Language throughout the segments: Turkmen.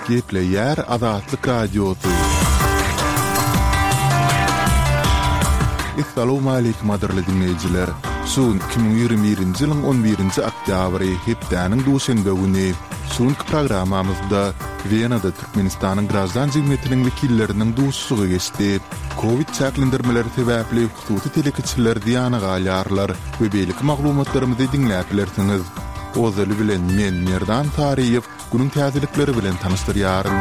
Gepleýär Azatlyk Radiosy. Essalawmaleýkim gadyrly diňleýjiler! Şu gün 2021-nji ýylyň on birinji oktýabry, hepdäniň duşenbe güni. Şu günki programmamyzda Wenada Türkmenistanyň graždan jemgyýetiniň wekilleriniň duşuşygy geçdi. Kowid çäklendirmeleri sebäpli hususy telekeçiler zyýana galýarlar we beýleki maglumatlarymyzy diňläp bilersiňiz. Ozaly bilen men Merdan Saryýew günüň täzelikleri bilen tanyşdyrýaryn.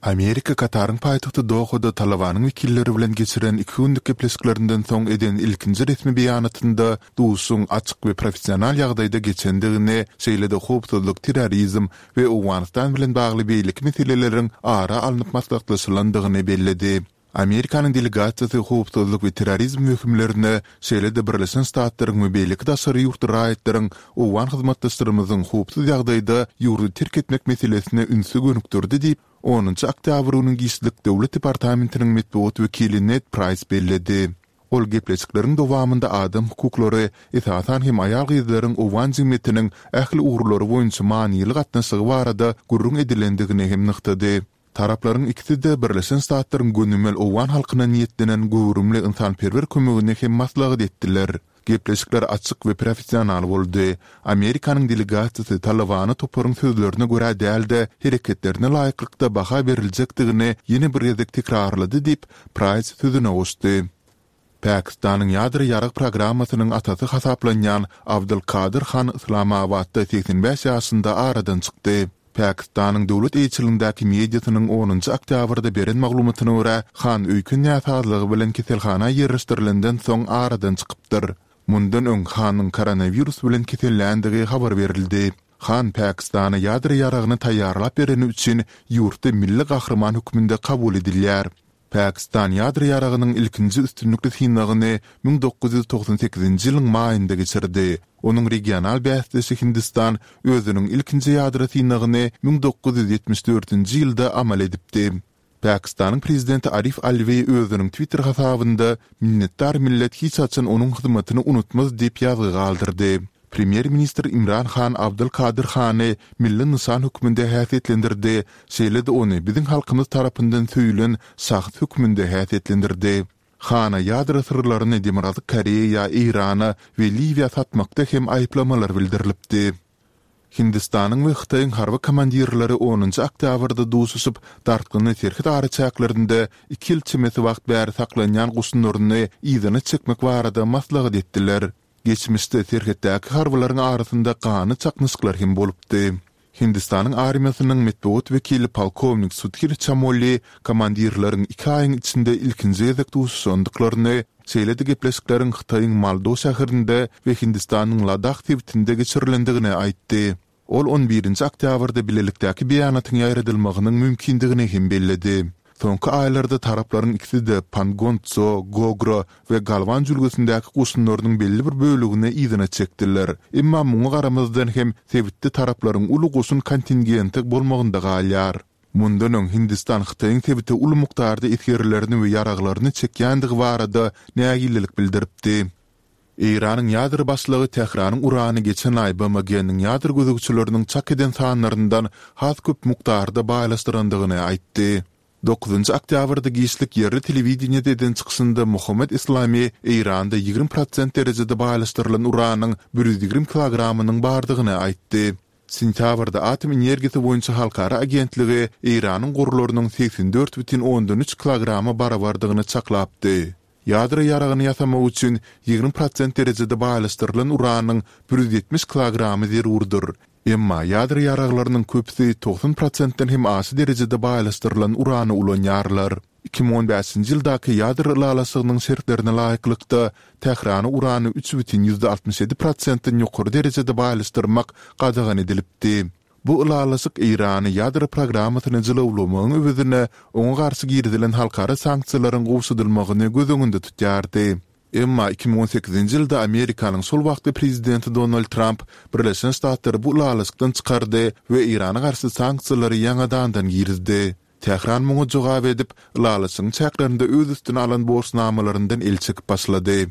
Amerika Kataryň paýtagty Dohada Talybanyň wekilleri bilen geçiren iki günlük gepleşiklerinden soň eden ilkinji resmi beýanatynda duşuşygyň açyk we professional ýagdaýda geçendigini, şeýle-de howpsuzlyk, terrorizm we Owganystan bilen bagly beýleki meseleleriň ara alnyp maslahatlaşylandygyny belledi. Amerikanyň delegasiýasy howpsuzlyk we terrorizm wehimlerine, şeýle-de Birleşen Ştatlaryň we beýleki daşary ýurtly raýatlaryň owgan hyzmatdaşlarymyzyň howpsuz ýagdaýda ýurdy terk etmek meselesine ünsi gönükdirdi diýip, onunjy oktýabr güni giçlik Döwlet departamentiniň metbugat wekili Ned Praýs belledi. Ol gepleşikleriň dowamynda adam hukuklary, esasan hem aýal-gyzlaryň owgan jemgyýetiniň ähli ugurlary boýunça manyly gatnaşygy barada gürrüň edilendigini hem nygtady. Taraplaryň ikisi-de Birleşen Ştatlaryň gönümel owgan halkyna niýetlenen göwrümli ynsanperwer kömegini hem maslahat etdiler. Gepleşikler açyk we professional boldy. Amerikanyň delegasiýasy Talybana toparyň sözlerine görä däl-de, hereketlerine laýyklykda baha beriljekdigini ýene bir gezek tekrarlady diýip, Praýs sözüne goşdy. Pakistanyň ýadro ýarag programmasynyň atasy hasaplanýan Abdul Kadyr Han Yslamabatda 85 ýaşynda aradan çykdy. Pakistanyň döwlet eýeçiligindäki mediasynyň onunjy oktýabrda beren maglumatyna görä, Han öýken näsazlygy bilen keselhana ýerleşdirilenden soň aradan çykypdyr. Mundan öň Hanyň koronawirus bilen keselländigi habar berildi. Han Pakistana ýadro ýaragyny taýýarlap bereni üçin ýurtda milli gahryman hökmünde kabul edilýär. Pakistan ýadro ýaragynyň ilkinji üstünlikli synagyny 1998-nji ýylyň maýynda geçirdi. Onuň regional bäsdeşi Hindistan özüniň ilkinji ýadro synagyny 1974-nji ýylda amal edipdi. Pakistanyň prezidenti Arif Alwi özüniň Twitter hasabynda Minnetdar millet hiç haçan onuň hyzmatyny unutmaz diýip ýazgy galdyrdy. Premýer-ministr Imran Han Abdul Kadyr Hany milli nyşan hökmünde häsiýetlendirdi, şeýle-de ony biziň halkymyz tarapyndan söýülen şahs hökmünde häsiýetlendirdi. Hana ýadro syrlaryny Demirgazyk Koreýa, Eýrana we Liwiýa satmakda hem aýyplamalar bildirilipdi. Hindistanyň we Hytaýyň harby komandirleri onunjy oktýabrda duşuşyp, dartgynly serhet araçäklerinde iki ýyl çemesi wagt bäri saklanýan goşunlaryny yzyna çekmek barada maslahat etdiler. Geçmişde serhetdäki harbylaryň arasynda ganly çaknyşyklar hem bolupdy. Hindistanyň armiýasynyň metbugat wekili polkownik Sudhir Çamoli komandirleriň iki aýyň içinde ilkinji gezek duşuşandyklaryny, şeýle-de gepleşikleriň Hytaýyň Maldo şäherinde we Hindistanyň Ladah sebitinde geçirilendigini aýtdy. Ol on birinji oktýabrda bilelikdäki beýanatyň ýaýradylmagynyň mümkindigini hem belledi. Soňky aýlarda taraplaryň ikisi-de Pangon Tso, Gogra we Galwan jülgesindäki goşunlarynyň belli bir bölegini yzyna çekdiler. Emma muňa garamazdan hem sebitde taraplaryň uly goşun kontingenti bolmagynda galýar. Mundan öň Hindistan Hytaýyň sebite uly mukdarda esgerlerini we ýaraglaryny çekýändigi barada nägilelik bildiripdi. Eýranyň ýadro başlygy Tähranyň urany geçen aý BMG-niň ýadro gözegçileriniň çak eden sanlaryndan has köp mukdarda baýlaşdyrandygyny aýtdy. Dokuzynjy oktýabrda giçlik ýerli telewideniýede eden çykyşynda Mohammed Eslami Eýranda 20 prosent derejede baýlaşdyrylan uranyň 120 kilogramynyň bardygyny aýtdy. Sentýabrda Atom energiýasy boýunça halkara agentligi Eýranyň gorlarynyň 84,3 kilograma barabardygyny çaklapdy. Ýadro ýaragyny ýasamak üçin 20 prosent derejede baýlaşdyrylan uranyň 170 kilogramy zerurdyr. Emma ýadro ýaraglarynyň köpüsi 90 prosentden hem aşa derejede baýlaşdyrylan urany ulanýarlar. 2015-nji ýyldaky ýadro ylalaşygynyň şertlerine laýyklykda, Tährana urany 3,67 prosentden ýokary derejede baýlaşdyrmak gadagan edilipdi. Bu ylalaşyk Eýrany ýadro programmasyny jylawlamagyň öwezine oňa garşy girizilen halkara sanksiýalaryň gowşadylmagyny göz öňünde tutýardy. Emma 2018-nji ýylda Amerikanyň şol wagtky prezidenti Donald Tramp Birleşen Ştatlary bu ylalaşykdan çykardy we Eýrana garşy sanksiýalary ýaňadandan girizdi. Tähran muňa jogap edip, ylalaşygyň çäklerinde öz üstüne alan borçnamalaryndan el çekip başlady.